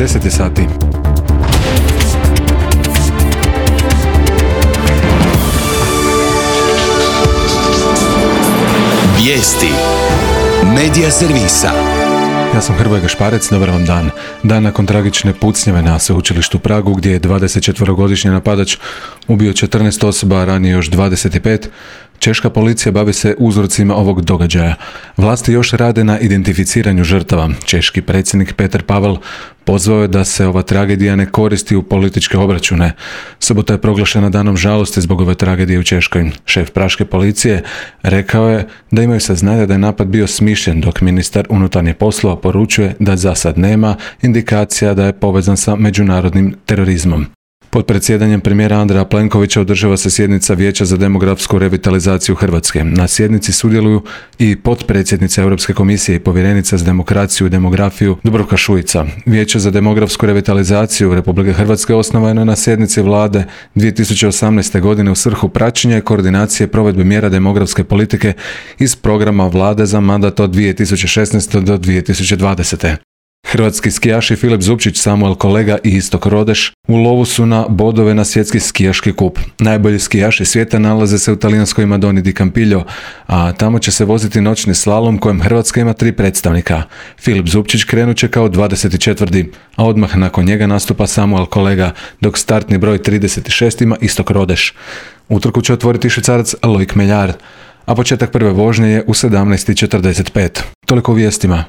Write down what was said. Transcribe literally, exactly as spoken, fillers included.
deset sati. Vijesti Medija servisa. Ja sam Hrvoje Gašparec, dobar vam dan. Dan nakon tragične pucnjave na sveučilištu u Pragu, gdje je dvadesetčetverogodišnji napadač ubio četrnaest osoba, a ranije još dvadeset pet, češka policija bavi se uzrocima ovog događaja. Vlasti još rade na identificiranju žrtava. Češki predsjednik Petr Pavel pozvao je da se ova tragedija ne koristi u političke obračune. Subota je proglašena danom žalosti zbog ove tragedije u Češkoj. Šef praške policije rekao je da imaju saznanja da je napad bio smišljen, dok ministar unutarnjih poslova poručuje da za sad nema indikacija da je povezan sa međunarodnim terorizmom. Pod predsjedanjem premijera Andreja Plenkovića održava se sjednica Vijeća za demografsku revitalizaciju Hrvatske. Na sjednici sudjeluju i potpredsjednica Europske komisije i povjerenica za demokraciju i demografiju Dubravka Šuica. Vijeće za demografsku revitalizaciju Republike Hrvatske osnovano je na sjednici vlade dvije tisuće osamnaeste. godine u svrhu praćenja i koordinacije provedbe mjera demografske politike iz programa vlade za mandat od dvije tisuće šesnaeste. do dvije tisuće dvadesete. Hrvatski skijaši Filip Zupčić, Samuel Kolega i Istok Rodeš u lovu su na bodove na svjetski skijaški kup. Najbolji skijaši svijeta nalaze se u talijanskoj Madoni di Campiglio, a tamo će se voziti noćni slalom kojem Hrvatska ima tri predstavnika. Filip Zupčić krenut će kao dvadeset četvrti. a odmah nakon njega nastupa Samuel Kolega, dok startni broj trideset šest ima Istok Rodeš. Utrku će otvoriti Švicarac Loic Meillard, a početak prve vožnje je u sedamnaest četrdeset pet. Toliko u vijestima.